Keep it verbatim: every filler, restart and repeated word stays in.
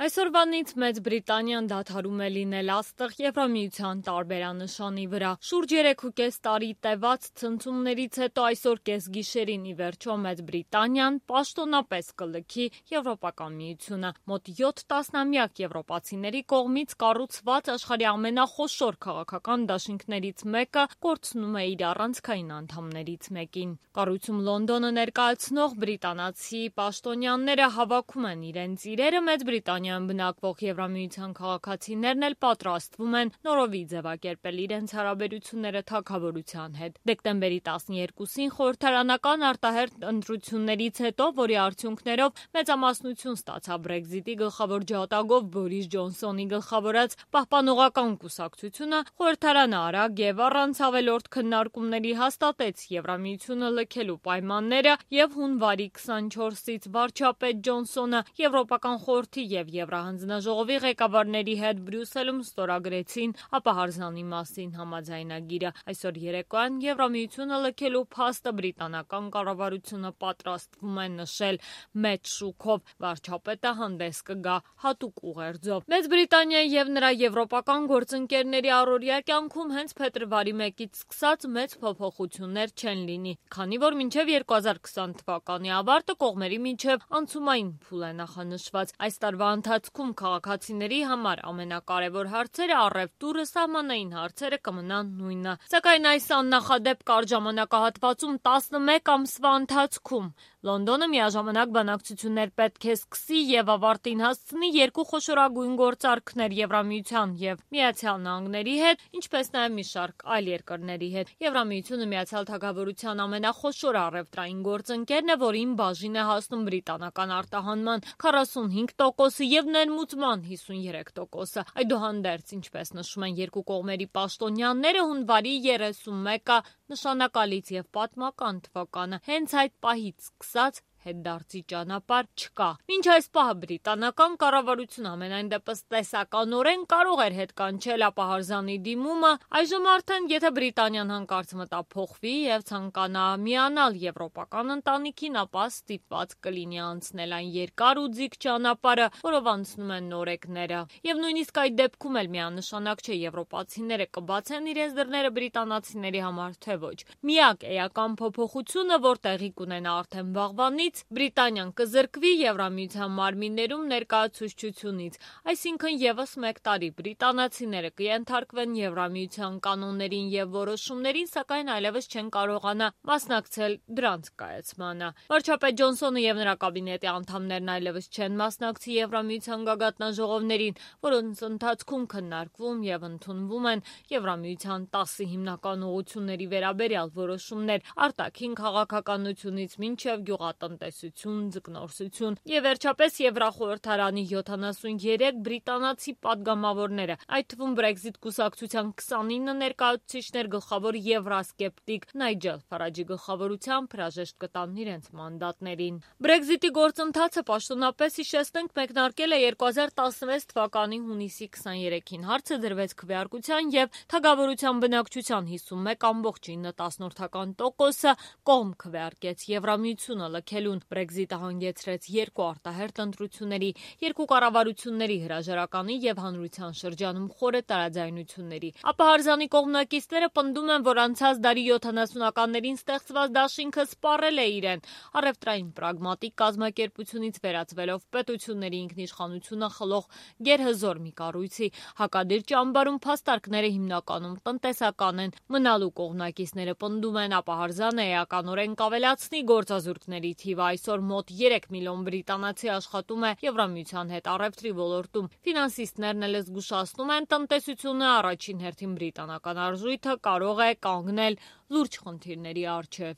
Այսօրվանից Մեծ Բրիտանիան դադարում է լինել աստղ Եվրամիության տարբերանշանի վրա։ Շուրջ երեքուկես տարի տևած ցնցումներից հետո այսօր կեսգիշերին ի վերջո Մեծ Բրիտանիան պաշտոնապես կլքի Եվրոպական միությունը։ Մոտ յոթ տասնամյակ եվրոպացիների կողմից կառուցված աշխարհի ամենախոշոր քաղաքական դաշինքներից մեկը կորցնում է իր առանցքային անդամներից մեկին։ Կառույցում Լոնդոնը ներկայացնող բրիտանացի պաշտոնյաները հավաքում են իրենց իրերը, Մեծ Բրիտանիայում բնակվող Եվրամիության քաղաքացիներն էլ պատրաստվում են նորովի ձևակերպել իրենց հարաբերությունները թագավորության հետ։ Դեկտեմբերի տասներկուսին խորհրդարանական արտահերթ ընտրություններից հետո, որի արդյունքներով մեծամասնություն ստացավ Brexit-ի գլխավոր ջատագով Բորիս Ջոնսոնի գլխավորած պահպանողական կուսակցությունը, խորհրդարանը արագ եւ առանց ավելորդ քննարկումների հաստատեց Եվրամիությունը լքելու պայմանները եւ հունվարի քսանչորսից վարչապետ Ջոնսոնը Եվրոպական խորհրդի եւ Եվրահանձնաժողովի ղեկավարների հետ Բրյուսելում ստորագրեցին ապահարզանի մասին համաձայնագիրը։ Այսօր երեկոյան Եվրամիությունը լքելու փաստը բրիտանական կառավարությունը պատրաստվում է նշել մեծ շուքով։ Վարչապետը հանդես կգա հատուկ ուղերձով։ Մեծ Բրիտանիայի եւ նրա եվրոպական գործընկերների առօրյա կյանքում հենց փետրվարի մեկից սկսած մեծ փոփոխություններ չեն լինի, քանի որ մինչև երկու հազար քսան թվականի ավարտը կողմերի միջև անցումային փուլ է նախանշված։ Այս տարվա ընթացքում քաղաքացիների համար ամենակարևոր հարցերը առևտուրը, սահմանային հարցերը կմնան նույնը։ Սակայն այս աննախադեպ կարճ ժամանակահատվածում տասնմեկ ամսվա ընթացքում Լոնդոնը միաժամանակ բանակցություններ պետք է սկսի եւ ավարտին հասցնի երկու խոշորագույն գործարքներ Եվրամիության եւ Միացյալ Նահանգների հետ, ինչպես նաեւ մի շարք այլ երկրների հետ։ Եվրամիությունը Միացյալ Թագավորության ամենախոշոր առևտրային գործընկերն է, որին բաժին է հասնում բրիտանական արտահանման քառասունհինգ տոկոսը եւ ներմուծման հիսունյուրեք տոկոսը։ Այդուհանդերձ, ինչպես նշում են երկու կողմերի պաշտոնյաները, հունվարի երեսունմեկը նշանակալից եւ պատմական թվական է։ Հենց այդ պահից սկսած հետդարձի ճանապարհ չկա։ Մինչ այս պահը բրիտանական կառավարությունը ամենայն դեպս տեսականորեն կարող էր հետ կանչել ապահարզանի դիմումը, այժմ արդեն եթե Բրիտանիան հանկարծ մտափոխվի եւ ցանկանա միանալ եվրոպական ընտանիքին, ապա ստիպված կլինի անցնել այն երկար ու ձիգ ճանապարհը, որով անցնում են նորեկները։ Եվ նույնիսկ այդ դեպքում էլ միանշանակ չէ եվրոպացիները կբացեն իրենց դռները բրիտանացիների համար, թե ոչ։ Միակ էական փոփոխությունը, որ տեղի կունենա արդեն վաղվանից, Բրիտանիան կզրկվի Եվրամիության մարմիններում ներկայացուցչությունից, այսինքն եւս մեկ տարի բրիտանացիները կենթարկվեն Եվրամիության կանոններին եւ որոշումներին, սակայն այլևս չեն կարողանա մասնակցել դրանց կայացմանը։ Վարչապետ Ջոնսոնը եւ նրա կաբինետի անդամներն այլևս չեն մասնակցի Եվրամիության գագաթնաժողովներին, որոնց ընթացքում քննարկվում եւ ընդունվում են Եվրամիության տասը հիմնական ուղղությունների վերաբերյալ որոշումներ արտաքին քաղաքականությունից մինչեւ գյուղատնտեսություն տեսություն, ձկնորսություն եւ վերջապես Եվրախորհրդարանի յոթանասունյերեք բրիտանացի падգամավորները, այդ թվում Brexit կուսակցության քսանինը ներկայացուցիչներ գլխավոր եվրասկեպտիկ Նայջել Ֆարաջի գլխավորությամբ հրաժեշտ կտան իրենց մանդատներին։ Brexit-ի գործընթացը պաշտոնապես հիշեցնենք մեկնարկել է երկու հազար տասնվեց թվականի հունիսի քսաներեքին։ Հարցը դրվեց քվեարկության եւ թագավորության բնակչության հիսունմեկ ամբողջ ինը տասնորդական տոկոսը կողմ քվեարկեց Եվրամիությունը լքելուն։ Brexit-ը հանգեցրեց երկու արտահերթ ընտրությունների, երկու կառավարությունների հրաժարականի եւ հանրության շրջանում խորը տարաձայնությունների։ Ապահարզանի կողմնակիցները պնդում են, որ անցած դարի յոթանասունականներին ստեղծված դաշինքը սպառել է իրեն, առևտրային պրագմատիկ կազմակերպությունից վերածվելով պետությունների ինքնիշխանությունը խլող գերհզոր մի կառույցի։ Հակադիր ճամբարում փաստարկները հիմնականում տնտեսական են։ Մնալու կողմնակիցները պնդում են, ապահարզանը էականորեն կավելացնի գործազուրկների թիվը։ Այսօր մոտ երեք միլիոն բրիտանացի աշխատում է Եվրամիության հետ առևտրի ոլորտում։ Ֆինանսիստներն էլ զգուշացնում են, տնտեսությունը առաջին հերթին բրիտանական արժույթը կարող է կանգնել լուրջ խնդիրների առջև։